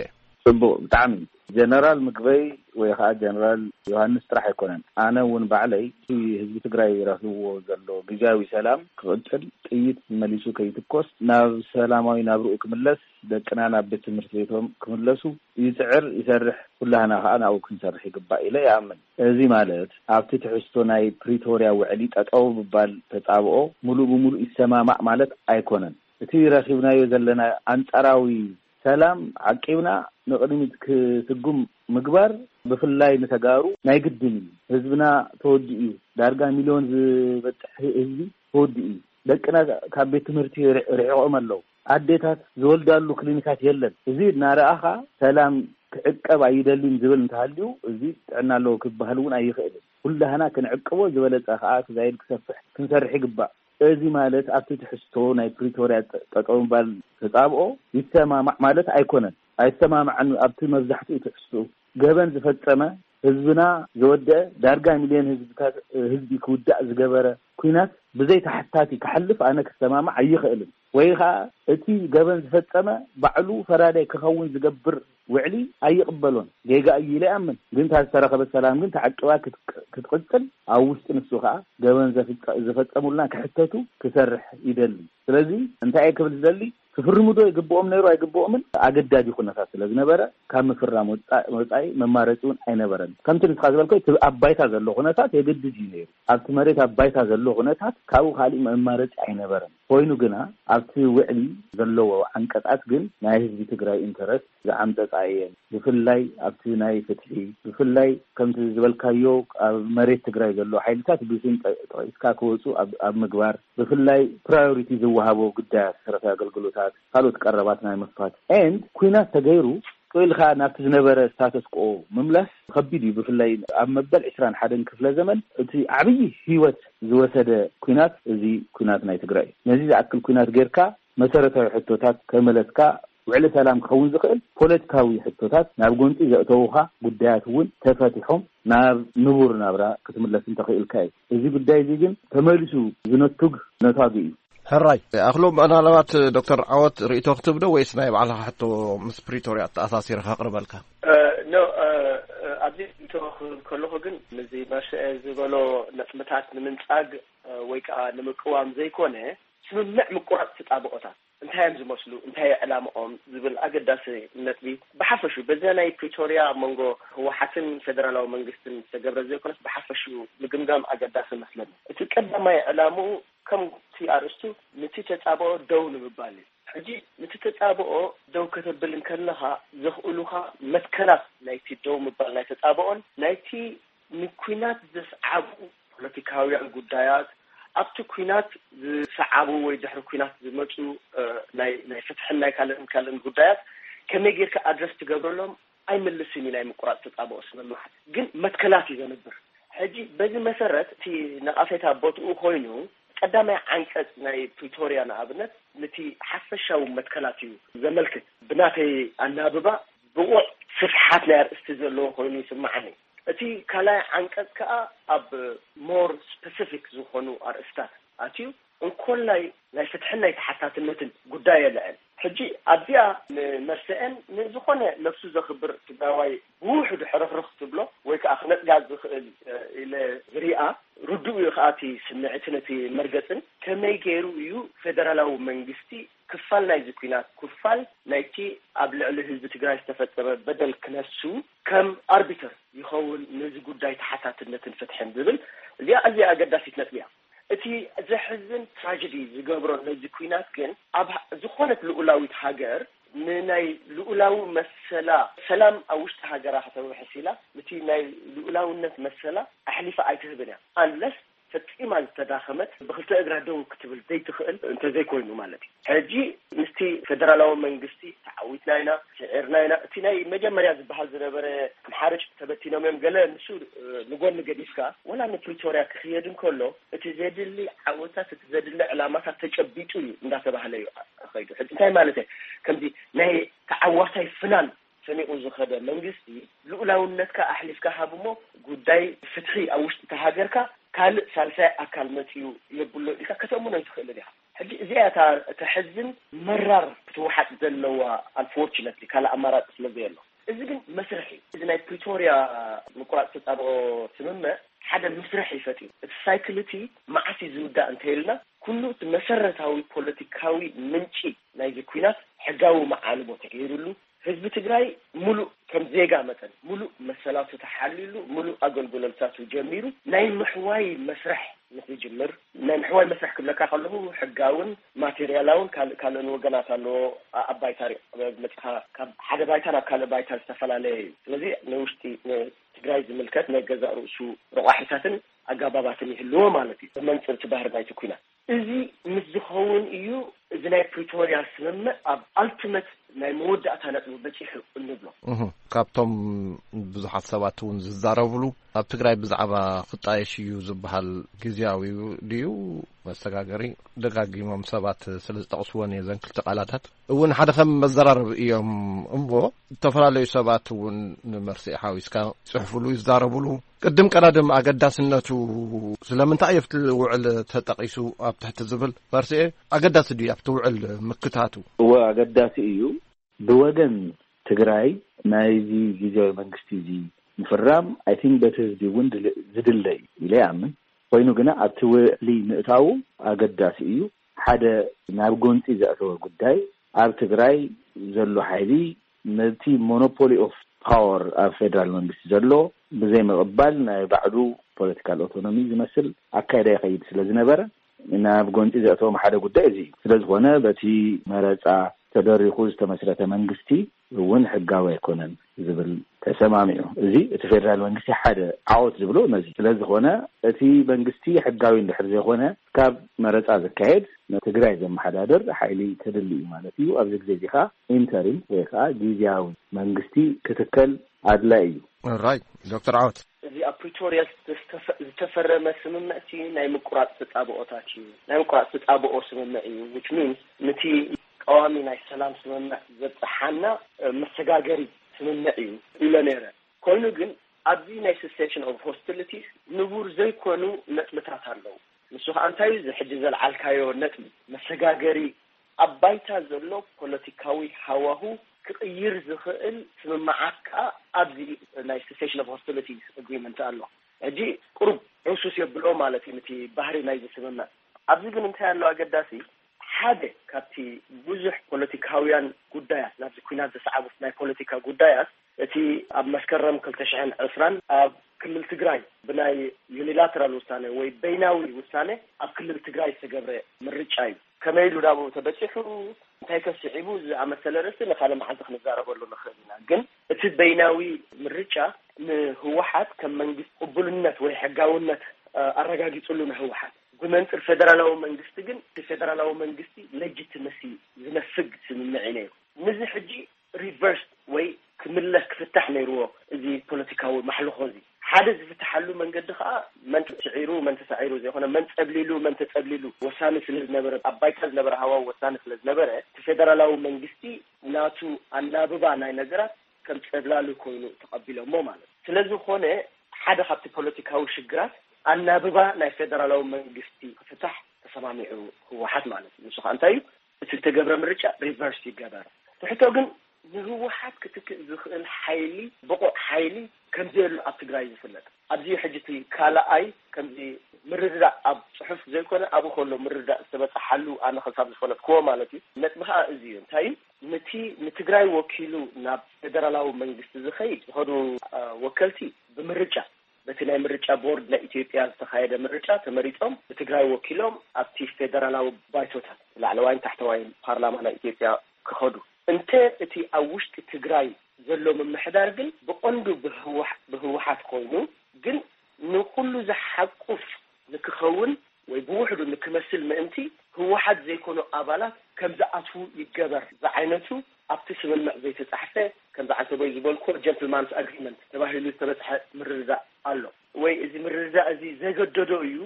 ጽቡቕ፣ ብጣዕሚ። ጀነራል ምግበይ ወይ ከዓ ጀነራል ዮሃንስ ጥራሕ ኣይኮነን። ኣነ እውን ባዕለይ እቲ ህዝቢ ትግራይ ረኺብዎ ዘሎ ግዝያዊ ሰላም ክቕጽል፣ ጥይት መሊሱ ከይትኮስ፣ ናብ ሰላማዊ ናብርኡ ክምለስ፣ ደቅና ናብ ቤት ትምህርቲ ቤቶም ክምለሱ ይጽዕር፣ ይሰርሕ፣ ኩላህና ከዓ ናብኡ ክንሰርሕ ይግባእ ኢለ ይኣምን። እዚ ማለት ኣብቲ ትሕዝቶ ናይ ፕሪቶርያ ውዕሊ ጠጠው ምባል ተጻብኦ ሙሉእ ብሙሉእ ይሰማማዕ ማለት ኣይኮነን። እቲ ረኺብናዮ ዘለና ኣንጻራዊ ሰላም ዓቂብና ንቕድሚት ክስጉም ምግባር፣ ብፍላይ ንተጋሩ ናይ ግድን እዩ። ህዝብና ተወዲኡ እዩ። ዳርጋ ሚልዮን ዝበጽሕ ህዝቢ ተወዲኡ እዩ። ደቅና ካብ ቤት ትምህርቲ ርሕ- ርሒቖም ኣለዉ። ኣዴታት ዝወልዳሉ ክሊኒካት የለን። እዚ እናረኣኻ ሰላም ክዕቀብ ኣይደልን ዝብል እንተሃልዩ፣ እዚ ጥዕና ኣለዎ ክበሃል እውን ኣይኽእልን። ኩላህና ክንዕቅቦ፣ ዝበለጸ ከኣ ክዛይድ ክሰፍሕ ክንሰርሕ ይግባእ። እዚ ማለት ኣብቲ ትሕዝቶ ናይ ፕሪቶርያ ጠ- ጠጠው ምባል ተጻብኦ ይሰማማዕ ማለት ኣይኮነን። ኣይሰማማዕን። ኣብቲ መብዛሕትኡ ትሕዝቶ ገበን ዝፈጸመ፣ ህዝብና ዘወደአ፣ ዳርጋ ሚልዮን ህዝብታት ህዝቢ ክውዳእ ዝገበረ ኲናት ብዘይ ተሓታቲ ክሓልፍ ኣነ ክሰማማዕ ኣይኽእልን። ወይ ኸኣ እቲ ገበን ዝፈጸመ ባዕሉ ፈራዳይ ክኸውን ዝገብር ውዕሊ ኣይቕበሎን። ጌጋ እዩ ኢለ ይኣምን። ግን እታ ዝተረኸበት ሰላም ግን ተዓቂባ ክትቅ- ክትቕጽል፣ ኣብ ውሽጢ ንሱ ኸኣ ገበን ዘፍጸ- ዝፈጸሙልና ክሕተቱ ክሰርሕ ይደሊ። ስለዚ እንታይ እየ ክብል ዝደሊ፣ ክፍርሙ ዶ ይግብኦም ነይሩ ኣይግብኦምን ኣገዳዲ ኩነታት ስለ ዝነበረ፣ ካብ ምፍራም ወጻ- ወጻኢ መማረጺ እውን ኣይነበረን። ከምቲ ንስኻ ዝበልኮ እቲ ኣብ ባይታ ዘሎ ኩነታት የገድድ እዩ ነይሩ። ኣብቲ መሬት ኣብ ባይታ ዘሎ ኩነታት ካብኡ ካሊእ መማረጺ ኣይነበረን። ኮይኑ ግና ኣብቲ ውዕሊ ዘለዎ ዓንቀጻት ግን ናይ ህዝቢ ትግራይ ኢንተረስት ዝዓምጸጻ እየን። ብፍላይ ኣብቲ ናይ ፍትሒ፣ ብፍላይ ከምቲ ዝበልካዮ ኣብ መሬት ትግራይ ዘሎ ሓይልታት ብስም ጠ- ጠቂስካ ክወፁ ኣብ ኣብ ምግባር፣ ብፍላይ ፕራዮሪቲ ዝወሃቦ ጉዳያት መሰረታዊ ኣገልግሎታት፣ ካልኦት ቀረባት ናይ ምኽፋት ኤንድ ኩናት ተገይሩ ኢልካ ናብቲ ዝነበረ ስታተስ ኮ ምምላስ ከቢድ እዩ። ብፍላይ ኣብ መበል ዕስራን ሓደን ክፍለ ዘመን እቲ ዓብዪ ህይወት ዝወሰደ ኩናት እዚ ኩናት ናይ ትግራይ እዩ። ነዚ ዝኣክል ኩናት ጌርካ መሰረታዊ ሕቶታት ከመለስካ ውዕሊ ሰላም ክኸውን ዝኽእል ፖለቲካዊ ሕቶታት ናብ ጎንፂ ዘእተውኻ ጉዳያት እውን ተፈቲሖም ናብ ንቡር ናብራ ክትምለስ እንተኽእልካ እዩ። እዚ ጉዳይ እዚ ግን ተመሊሱ ዝነቱግ ነታጉ እዩ። ሕራይ ኣኽሎም፣ ምናልባት ዶክተር ዓወት ርእይቶ ክትብዶ ወይስ ናይ ባዕልኻ ሕቶ ምስ ፕሪቶርያ ኣተኣሳሲረ ከቕርበልካ? ኖ ኣብዚ ርእይቶ ክህብ ከለኹ ግን ነዚ መርሰኤ ዝበሎ ነጥብታት ንምንጻግ ወይ ከዓ ንምቅዋም ዘይኮነ ስምምዕ ምቁራፅ ተጣብቆታት እንታይ እዮም ዝመስሉ፣ እንታይ እዩ ዕላምኦም ዝብል ኣገዳሲ ነጥቢ ብሓፈሹ በዚ ናይ ፕሪቶርያ ኣብ መንጎ ህወሓትን ፌደራላዊ መንግስትን ዝተገብረ ዘይኮነስ ብሓፈሹ ምግምጋም ኣገዳሲ መስለኒ። እቲ ቀዳማይ ዕላምኡ ከምቲ ኣርእስቱ ነቲ ተጻብኦ ደው ንምባል እዩ። ሕጂ ነቲ ተጻብኦ ደው ከተብል እንከለኻ ዘኽእሉኻ መትከላት ናይቲ ደው ምባል ናይ ተጻብኦን ናይቲ ንኲናት ዘስዓቡ ፖለቲካውያን ጉዳያት ኣብቲ ኲናት ዝሰዓቡ ወይ ድሕሪ ኲናት ዝመፁ ናይ ናይ ፍትሕን ናይ ካልእን ካልእን ጉዳያት ከመይ ጌርካ ኣድረስ ትገብረሎም ኣይምልስን እዩ። ናይ ምቁራፅ ተፃብኦ ስምምዓት ግን መትከላት እዩ ዘንብር። ሕጂ በዚ መሰረት እቲ ነቓፌታ ቦትኡ ኮይኑ ቀዳማይ ዓንቀፅ ናይ ፕሪቶርያ ንኣብነት ነቲ ሓፈሻዊ መትከላት እዩ ዘመልክት። ብናተይ ኣናብባ ብቑዕ ስፍሓት ናይ ኣርእስቲ ዘለዎ ኮይኑ ይስምዓኒ። እቲ ካልኣይ ዓንቀፅ ከዓ ኣብ ሞር ስፐሲፊክ ዝኾኑ ኣርእስታት ኣትዩ እንኮላይ ናይ ፍትሕን ናይ ተሓታትነትን ጉዳይ የልዕል። ሕጂ ኣብዚኣ ንመርሰኤን ንዝኾነ ነብሱ ዘኽብር ትግራዋይ ብውሕዱ ሕርኽርኽ ትብሎ ወይ ከዓ ክነጥጋ ዝኽእል ኢለ ዝሪኣ ርዱእ እዩ ከዓ እቲ ስምዒትን እቲ መርገፅን ከመይ ገይሩ እዩ ፌደራላዊ መንግስቲ ክፋል ናይዚ ኲናት ክፋል ናይቲ ኣብ ልዕሊ ህዝቢ ትግራይ ዝተፈጸመ በደል ክነሱ ከም ኣርቢተር ይኸውን ነዚ ጉዳይ ተሓታትነትን ፍትሕን ዝብል እዚኣ ኣዝያ ኣገዳሲት ነጥቢ እያ። እቲ ዘሕዝን ትራጀዲ ዝገብሮ ነዚ ኲናት ግን ኣብ ዝኾነት ልኡላዊት ሃገር ንናይ ልኡላዊ መሰላ ሰላም ኣብ ውሽጢ ሃገራ ከተውሕስ ኢላ ነቲ ናይ ልኡላውነት መሰላ ኣሕሊፋ ኣይትህብን እያ። ኣንለስ ፈጺማ ዝተዳኸመት ብክልተ እግራ ደው ክትብል ዘይትኽእል እንተዘይኮይኑ ማለት እዩ። ሕጂ ምስቲ ፌደራላዊ መንግስቲ ተዓዊትና ኢና ስዒርና ኢና እቲ ናይ መጀመርያ ዝበሃል ዝነበረ ኣምሓርጭ ተበቲኖም እዮም ገለ ንሱ ንጎኒ ገዲፍካ ወላ ንፕሪቶርያ ክኽየድ እንከሎ እቲ ዘድሊ ዓወታት እቲ ዘድሊ ዕላማታት ተጨቢጡ እዩ እንዳተባህለ እዩ ከይዱ። ሕጂ እንታይ ማለት እየ ከምዚ ናይ ተዓዋታይ ፍናን ሰኒቑ ዝኸደ መንግስቲ ልኡላውነትካ ኣሕሊፍካ ሃብ እሞ ጉዳይ ፍትሒ ኣብ ውሽጢ እታ ሃገርካ ካልእ ሳልሳይ ኣካል መፅኡ የብሎ ኢልካ ከተእምኖ ኣይትኽእልን ኢኻ። ሕጂ እዚኣ እታ ተሕዝን መራር ክትወሓጥ ዘለዋ ኣንፎርቹነትሊ ካልእ ኣማራፂ ስለ ዘየሎ እዚ ግን መስርሕ እዩ። እዚ ናይ ፕሪቶርያ ምቁራፅ ተፃብኦ ስምምዕ ሓደ መስርሕ እዩ ፈጢሩ። እቲ ሳይክል እቲ መዓስ እዩ ዝውዳእ እንተይልና፣ ኩሉ እቲ መሰረታዊ ፖለቲካዊ ምንጪ ናይዚ ኩናት ሕጋዊ መዓልቦ ተገይሩሉ፣ ህዝቢ ትግራይ ሙሉእ ከም ዜጋ መጠን ሙሉእ መሰላቱ ተሓልዩሉ፣ ሙሉእ ኣገልግሎታቱ ጀሚሩ፣ ናይ ምሕዋይ መስርሕ ንክጅምር፣ ናይ ምሕዋይ መስርሕ ክብለካ ከለኹ ሕጋውን ማቴሪያላውን ካልእ ካልእን ወገናት ኣለዎ። ኣ- ኣብ ባይታ ሪ- መፅኻ ካብ ሓደ ባይታ ናብ ካልእ ባይታ ዝተፈላለየ እዩ። ስለዚ ንውሽጢ ንትግራይ ዝምልከት ናይ ገዛእ ርእሱ ረቋሒታትን ኣጋባባትን ይህልዎ ማለት እዩ። ብመንፅር እቲ ባህሪ ናይቲ ኩናት እዚ ምስ ዝኸውን እዩ እዚ ናይ ፕሪቶርያ ስምምዕ ኣብ ኣልቲመት ናይ መወዳእታ ነጥቢ በፂሑ እንብሎ። እህ፣ ካብቶም ብዙሓት ሰባት እውን ዝዛረብሉ ኣብ ትግራይ ብዛዕባ ክጣየሽ እዩ ዝበሃል ግዝያዊ ድዩ መሰጋገሪ ደጋጊሞም ሰባት ስለ ዝጠቕስወን እየ ዘን ክልተ ቃላታት እውን ሓደ ከም መዘራረቢ እዮም እሞ ዝተፈላለዩ ሰባት እውን ንመርስኤ ሓዊስካ ይፅሕፉሉ ይዛረቡሉ። ቅድም ቀዳድም ኣገዳስነቱ ስለምንታይ ኣብቲ ውዕል ተጠቒሱ ኣብ ትሕቲ ዝብል መርስኤ ኣገዳሲ ድዩ ኣብቲ ውዕል ምክታቱ? እወ ኣገዳሲ እዩ። ብወገን ትግራይ ናይዚ ግዝያዊ መንግስቲ እዚ ምፍራም ኣይ ቲንክ በቲ ህዝቢ እውን ድል- ዝድለ እዩ ኢለ ይኣምን። ኮይኑ ግና ኣብቲ ውዕሊ ምእታዉ ኣገዳሲ እዩ። ሓደ ናብ ጎንፂ ዘእተወ ጉዳይ ኣብ ትግራይ ዘሎ ሓይሊ ነቲ ሞኖፖሊ ኦፍ ፓወር ኣብ ፌደራል መንግስቲ ዘሎ ብዘይምቕባል ናይ ባዕሉ ፖለቲካል ኦቶኖሚ ዝመስል ኣካይዳ ይኸይድ ስለ ዝነበረ ናብ ጎንፂ ዘእተዎም ሓደ ጉዳይ እዚ እዩ። ስለ ዝኾነ በቲ መረፃ ተደሪኹ ዝተመስረተ መንግስቲ እውን ሕጋዊ ኣይኮነን ዝብል ተሰማሚዑ። እዚ እቲ ፌደራል መንግስቲ ሓደ ዓወት ዝብሎ ነዚ ስለ ዝኾነ እቲ መንግስቲ ሕጋዊ እንድሕር ዘይኮነ ካብ መረፃ ዝካየድ ንትግራይ ዘመሓዳድር ሓይሊ ተድሊ እዩ ማለት እዩ። ኣብዚ ግዜ እዚ ከዓ ኢንተሪም ወይ ከዓ ግዝያዊ መንግስቲ ክትከል ኣድላይ እዩ። ራይት ዶክተር ዓወት። እዚ ኣብ ፕሪቶርያ ዝተፈ- ዝተፈረመ ስምምዕቲ ናይ ምቁራፅ ተፃብኦታት እዩ። ናይ ምቁራፅ ተፃብኦ ስምምዕ እዩ። ዊች ሚንስ ነቲ ቀዋሚ ናይ ሰላም ስምምዕ ዘብፅሓና መሰጋገሪ ስምምዕ እዩ ኢለ ነይረ። ኮይኑ ግን ኣብዚ ናይ ሰሴሽን ኦፍ ሆስቲሊቲስ ንቡር ዘይኮኑ ነጥብታት ኣለዉ። ንሱ ከዓ እንታይ እዩ? እዚ ሕጂ ዘልዓልካዮ ነጥቢ መሰጋገሪ ኣብ ባይታ ዘሎ ፖለቲካዊ ሃዋሁ ክቕይር ዝኽእል ስምምዓት ከዓ ኣብዚ ናይ ሰሴሽን ኦፍ ሆስቲሊቲስ ኣግሪመንት ኣሎ። ሕጂ ቁሩብ ዕሱስ የብሎ ማለት እዩ ነቲ ባህሪ ናይዚ ስምምዕ። ኣብዚ ግን እንታይ ኣሎ ኣገዳሲ? ሓደ ካብቲ ብዙሕ ፖለቲካውያን ጉዳያት ናብዚ ኩናት ዘስዓቡት ናይ ፖለቲካ ጉዳያት እቲ ኣብ መስከረም ክልተ ሽሕን ዕስራን ኣብ ክልል ትግራይ ብናይ ዩኒላተራል ውሳነ ወይ በይናዊ ውሳነ ኣብ ክልል ትግራይ ዝተገብረ ምርጫ እዩ። ከመይ ኢሉ ናብኡ ተበፂሑ እንታይ ከስዒቡ ዝኣመሰለ ርእስቲ ንካልእ መዓልቲ ክንዛረበሉ ንኽእል ኢና። ግን እቲ በይናዊ ምርጫ ንህወሓት ከም መንግስቲ ቅቡልነት ወይ ሕጋውነት ኣረጋጊፅሉ ንህወሓት ብመንፅር ፌደራላዊ መንግስቲ ግን እቲ ፌደራላዊ መንግስቲ ሌጅትመሲ ዝነፍግ ስምምዕ እዩ ነይሩ። ንዚ ሕጂ ሪቨርስ ወይ ክምለስ ክፍታሕ ነይርዎ። እዚ ፖለቲካዊ ማሕልኾ እዚ ሓደ ዝፍትሓሉ መንገዲ ከዓ መን ተስዒሩ መን ተሳዒሩ ዘይኮነ መን ፀብሊሉ መን ተፀብሊሉ ወሳኒ ስለ ዝነበረ ኣብ ባይታ ዝነበረ ሃዋው ወሳኒ ስለ ዝነበረ እቲ ፌደራላዊ መንግስቲ ናቱ ኣናብባ ናይ ነገራት ከም ፀብላሉ ኮይኑ ተቐቢሎሞ ማለት እዩ። ስለዝኾነ ሓደ ካብቲ ፖለቲካዊ ሽግራት ኣናብባ ናይ ፌደራላዊ መንግስቲ ክፍታሕ ተሰማሚዑ ህወሓት ማለት እዩ። ንሱ ከዓ እንታይ እዩ? እቲ ዝተገብረ ምርጫ ሪቨርስ ይገበር። ትሕቶ ግን ንህወሓት ክትክእ ዝኽእል ሓይሊ ብቑዕ ሓይሊ ከምዘየሉ ኣብ ትግራይ ዝፍለጥ ኣብዚ ሕጂ እቲ ካልኣይ ከምዚ ምርድዳእ ኣብ ፅሑፍ ዘይኮነ ኣብኡ ከሎ ምርድዳእ ዝተበፀሓሉ ኣነ ክሳብ ዝፈለጥክዎ ማለት እዩ። ነጥቢ ከዓ እዚ እዩ። እንታይ እዩ? ነቲ ንትግራይ ወኪሉ ናብ ፌደራላዊ መንግስቲ ዝኸይድ ዝኸዱ ወከልቲ ብምርጫ በቲ ናይ ምርጫ ቦርድ ናይ ኢትዮጵያ ዝተኻየደ ምርጫ ተመሪጦም ብትግራይ ወኪሎም ኣብቲ ፌደራላዊ ባይቶታት ላዕለዋይን ታሕተዋይን ፓርላማ ናይ ኢትዮጵያ ክኸዱ እንተ እቲ ኣብ ውሽጢ ትግራይ ዘሎ ምምሕዳር ግን ብቐንዱ ብህወሓት ኮይኑ ግን ንኹሉ ዝሓቁፍ ንክኸውን ወይ ብውሕዱ ንክመስል ምእንቲ ህወሓት ዘይኮኑ ኣባላት ከም ዝኣትዉ ይገበር ዝዓይነቱ ኣብቲ ስምምዕ ዘይተፃሕፈ ከምዚ ዓንተቦይ ዝበልኮ ጀንትልማንስ ኣግሪመንት ተባሂሉ ዝተበፅሐ ምርድዳእ ኣሎ ወይ እዚ ምርድዳእ እዚ ዘገደዶ እዩ።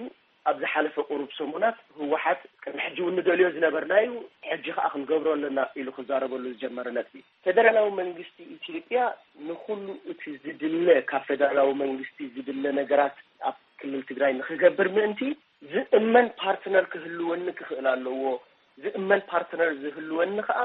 ኣብ ዝሓለፈ ቁሩብ ሰሙናት ህወሓት ቅድሚ ሕጂ እውን ንደልዮ ዝነበርናዩ ሕጂ ከዓ ክንገብሮ ኣለና ኢሉ ክዛረበሉ ዝጀመረ ነጥቢ ፌደራላዊ መንግስቲ ኢትዮጵያ ንኩሉ እቲ ዝድለ ካብ ፌደራላዊ መንግስቲ ዝድለ ነገራት ኣብ ክልል ትግራይ ንክገብር ምእንቲ ዝእመን ፓርትነር ክህልወኒ ክኽእል ኣለዎ። ዝእመን ፓርትነር ዝህልወኒ ከዓ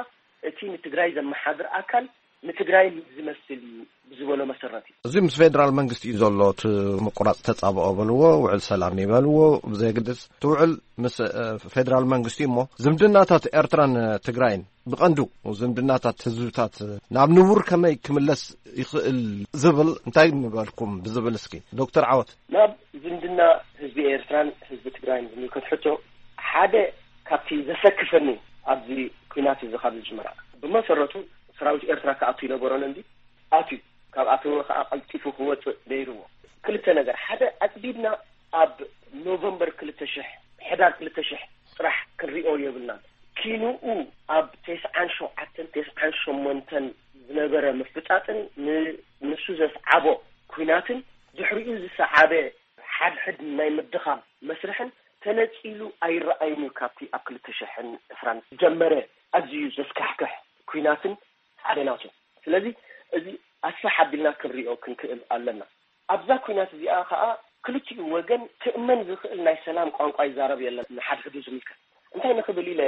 እቲ ንትግራይ ዘመሓድር ኣካል ንትግራይ ዝመስል እዩ ብዝበሎ መሰረት እዩ። እዚ ምስ ፌደራል መንግስቲ እዩ ዘሎ፣ እቲ ምቁራፅ ተፃብኦ በልዎ፣ ውዕል ሰላም ይበልዎ፣ ብዘየግድስ እቲ ውዕል ምስ ፌደራል መንግስቲ እሞ ዝምድናታት ኤርትራን ትግራይን ብቐንዱ ዝምድናታት ህዝብታት ናብ ንቡር ከመይ ክምለስ ይኽእል ዝብል እንታይ ምበልኩም ብዝብል እስኪ ዶክተር ዓወት። ናብ ዝምድና ህዝቢ ኤርትራን ህዝቢ ትግራይን ዝምልከት ሕቶ ሓደ ካብቲ ዘሰክፈኒ ኣብዚ ኩናት እዚ ካብ ዝጅምራ ብመሰረቱ ሰራዊት ኤርትራ ክኣቱ ይነበሮን እንዲ ኣትዩ ካብ ኣተወ ከዓ ቀልጢፉ ክወፅእ ነይርዎ። ክልተ ነገር ሓደ ኣፅቢብና ኣብ ኖቨምበር ክልተ ሽሕ ሕዳር ክልተ ሽሕ ጥራሕ ክንሪኦ የብልናን። ኪንኡ ኣብ ተስዓን ሸውዓተን ተስዓን ሸሞንተን ዝነበረ ምፍጣጥን ንሱ ዘስዓቦ ኩናትን ድሕሪኡ ዝሰዓበ ሓድሕድ ናይ ምድኻም መስርሕን ተነፂሉ ኣይረኣይን እዩ። ካብቲ ኣብ ክልተ ሽሕን ዕስራን ዝጀመረ ኣዝዩ ዘስካሕክሕ ኩናትን ሓደ ናቱ። ስለዚ እዚ ኣስፍሕ ኣቢልና ክንሪኦ ክንክእል ኣለና። ኣብዛ ኩናት እዚኣ ከዓ ክልቲኡ ወገን ክእመን ዝኽእል ናይ ሰላም ቋንቋ ይዛረብ የለን። ንሓድሕዱ ዝምልከት እንታይ ንኽብል ኢለ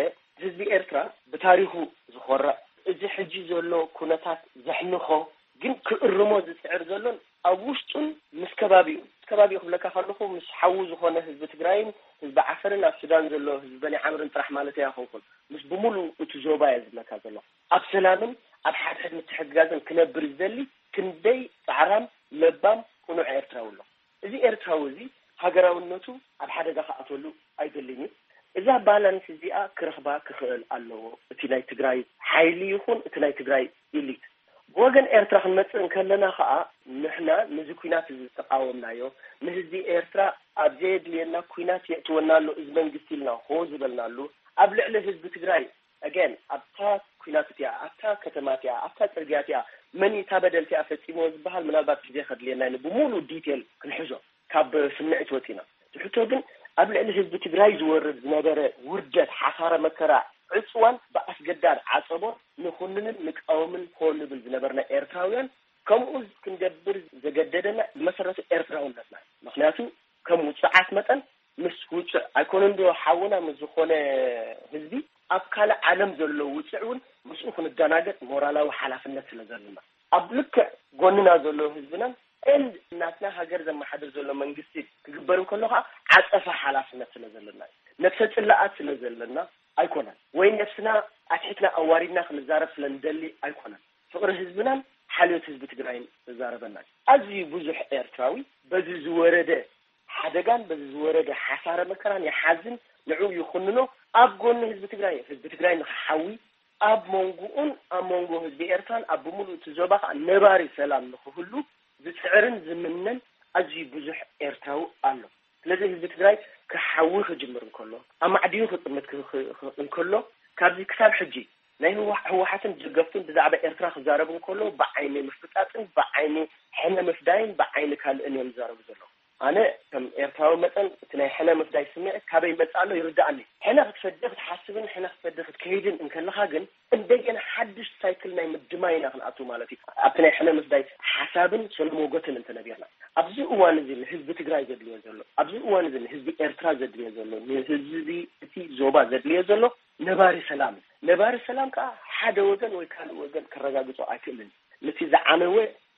ህዝቢ ኤርትራ ብታሪኹ ዝኾርዕ እዚ ሕጂ ዘሎ ኩነታት ዘሕንኾ ግን ክእርሞ ዝፅዕር ዘሎን ኣብ ውሽጡን ምስ ከባቢኡ ምስ ከባቢኡ ክብለካ ከለኹ ምስ ሓዉ ዝኾነ ህዝቢ ትግራይን ህዝቢ ዓፈርን ኣብ ሱዳን ዘሎ ህዝቢ በኒ ዓምርን ጥራሕ ማለት ኣይኮንኩን ምስ ብምሉእ እቲ ዞባ እየ ዝብለካ ዘለኹ። ኣብ ሰላምን ኣብ ሓድሕድ ምትሕግጋዝን ክነብር ዝደሊ ክንደይ ፃዕራም ለባም ቅኑዕ ኤርትራዊ ኣሎ። እዚ ኤርትራዊ እዚ ሃገራውነቱ ኣብ ሓደጋ ክኣተሉ ኣይደልን እዩ። እዛ ባላንስ እዚኣ ክረኽባ ክኽእል ኣለዎ። እቲ ናይ ትግራይ ሓይሊ ይኹን እቲ ናይ ትግራይ ኢሊት ብወገን ኤርትራ ክንመፅእ እንከለና ከዓ ንሕና ነዚ ኩናት እዚ ዝተቃወምናዮ ንህዝቢ ኤርትራ ኣብ ዘየድልየና ኩናት የእትወና ኣሎ እዚ መንግስቲ ኢልና ሆ ዝበልናሉ ኣብ ልዕሊ ህዝቢ ትግራይ ኣገን ኣብታ ኩናት እቲኣ ኣብታ ከተማ እቲኣ ኣብታ ፅርግያ እቲኣ መን እዩ እታ በደል እቲኣ ፈፂሞ ዝበሃል ምናልባት ግዜ ከድልየና ዩ ብሙሉ ዲቴል ክንሕዞ ካብ ስምዒት ወፂና ትሕቶ ግን ኣብ ልዕሊ ህዝቢ ትግራይ ዝወርድ ዝነበረ ውርደት ሓሳረ መከራ ዕፅዋን ብኣስገዳድ ዓፀቦ ንኹንንን ንቃወምን ኮ ንብል ዝነበርና ኤርትራውያን ከምኡ ክንገብር ዘገደደና ብመሰረቱ ኤርትራውነትና ምክንያቱ ከም ውፅዓት መጠን ምስ ውፅዕ ኣይኮነን ዶ ሓውና ምስ ዝኾነ ህዝቢ ኣብ ካልእ ዓለም ዘሎ ውፅዕ እውን ምስኡ ክንደናገጥ ሞራላዊ ሓላፍነት ስለ ዘለና ኣብ ልክዕ ጎንና ዘሎ ህዝብናን ኤንድ ናትና ሃገር ዘመሓድር ዘሎ መንግስቲ ክግበር እንከሎ ከዓ ዓፀፋ ሓላፍነት ስለ ዘለና እዩ። ነብሰ ፅላኣት ስለ ዘለና ኣይኮነን ወይ ነብስና ኣትሒትና ኣዋሪድና ክንዛረብ ስለ ንደሊ ኣይኮነን። ፍቕሪ ህዝብናን ሓልዮት ህዝቢ ትግራይን ዘዛረበና እዩ። ኣዝዩ ብዙሕ ኤርትራዊ በዚ ዝወረደ ሓደጋን በዚ ዝወረደ ሓሳረ መከራን ይሓዝን ንዕኡ ይኹንኖ ኣብ ጎኒ ህዝቢ ትግራይ ህዝቢ ትግራይ ንክሓዊ ኣብ መንጎኡን ኣብ መንጎ ህዝቢ ኤርትራን ኣብ ብምሉእ እቲ ዞባ ከዓ ነባሪ ሰላም ንክህሉ ዝፅዕርን ዝምነን ኣዝዩ ብዙሕ ኤርትራዊ ኣሎ። ስለዚ ህዝቢ ትግራይ ክሓዊ ክጅምር እንከሎ ኣብ ማዕድዩ ክጥምት እንከሎ ካብዚ ክሳብ ሕጂ ናይ ህወሓትን ደገፍቱን ብዛዕባ ኤርትራ ክዛረቡ እንከሎ ብዓይኒ ምፍጣጥን ብዓይኒ ሕነ ምፍዳይን ብዓይኒ ካልእን እዮም ዝዛረቡ ዘለዉ። ኣነ ከም ኤርትራዊ መጠን እቲ ናይ ሕነ ምፍዳይ ስምዒት ካበይ ይመፅእ ኣሎ ይርድኣኒ። ሕነ ክትፈዲ ክትሓስብን ሕነ ክትፈዲ ክትከይድን እንከለኻ ግን እንደገና ሓድሽ ሳይክል ናይ ምድማይ ኢና ክንኣቱ ማለት እዩ። ኣብቲ ናይ ሕነ ምፍዳይ ሓሳብን ሰለሞጎትን እንተነቢርና ኣብዚ እዋን እዚ ንህዝቢ ትግራይ ዘድልዮ ዘሎ ኣብዚ እዋን እዚ ንህዝቢ ኤርትራ ዘድልዮ ዘሎ ንህዝቢ እቲ ዞባ ዘድልዮ ዘሎ ነባሪ ሰላም እዩ። ነባሪ ሰላም ከዓ ሓደ ወገን ወይ ካልእ ወገን ከረጋግፆ ኣይክእልን። ነቲ ዝዓነወ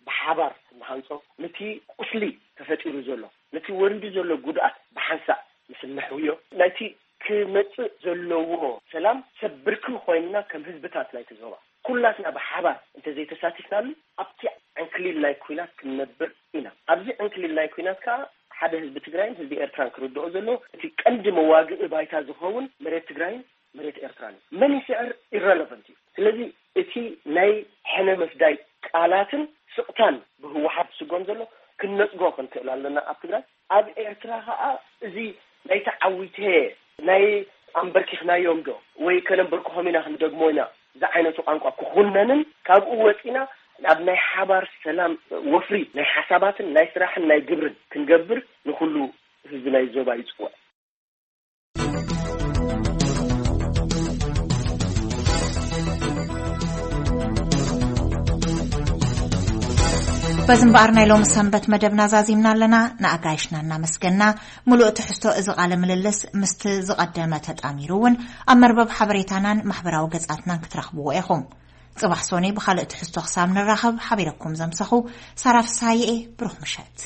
ብሓባር እንሃንፆ ነቲ ቁስሊ ተፈጢሩ ዘሎ ነቲ ወሪዱ ዘሎ ጉድኣት ብሓንሳእ ምስ እነሕውዮ ናይቲ ክመፅእ ዘለዎ ሰላም ሰብ ብርኪ ኮይንና ከም ህዝብታት ናይቲ ዞባ ኩላትና ብሓባር እንተዘይተሳቲፍናሉ ኣብቲ ዕንክሊል ናይ ኩናት ክንነብር ኢና። ኣብዚ ዕንክሊል ናይ ኩናት ከዓ ሓደ ህዝቢ ትግራይን ህዝቢ ኤርትራን ክርድኦ ዘለዎ እቲ ቀንዲ መዋግኢ ባይታ ዝኸውን መሬት ትግራይን መሬት ኤርትራን እዩ። መን ይስዕር ኢረለቨንት እዩ። ስለዚ እቲ ናይ ሕነ ምፍዳይ ቃላትን ስቕታን ብህወሓት ዝስጎም ዘሎ ክንነፅጎ ክንክእል ኣለና ኣብ ትግራይ። ኣብ ኤርትራ ከዓ እዚ ናይ ተዓዊተ ናይ ኣንበርኪኽናዮም ዶ ወይ ከነንበርክኾም ኢና ክንደግሞ ኢና ዝዓይነቱ ቋንቋ ክኹነንን ካብኡ ወፂና ናብ ናይ ሓባር ሰላም ወፍሪ ናይ ሓሳባትን ናይ ስራሕን ናይ ግብርን ክንገብር ንኩሉ ህዝቢ ናይ ዞባ ይፅውዕ። በዚ እምበኣር ናይ ሎሚ ሰንበት መደብና ዛዚምና ኣለና። ንኣጋይሽና እናመስገና፣ ምሉእ ትሕዝቶ እዚ ቃለ ምልልስ ምስቲ ዝቐደመ ተጣሚሩ እውን ኣብ መርበብ ሓበሬታናን ማሕበራዊ ገጻትናን ክትረኽብዎ ኢኹም። ጽባሕ ሶኔ ብኻልእ ትሕዝቶ ክሳብ ንራኸብ፣ ሓቢረኩም ዘምሰኹ ሳራ ፍስሃየ እየ። ብሩኽ ምሸት።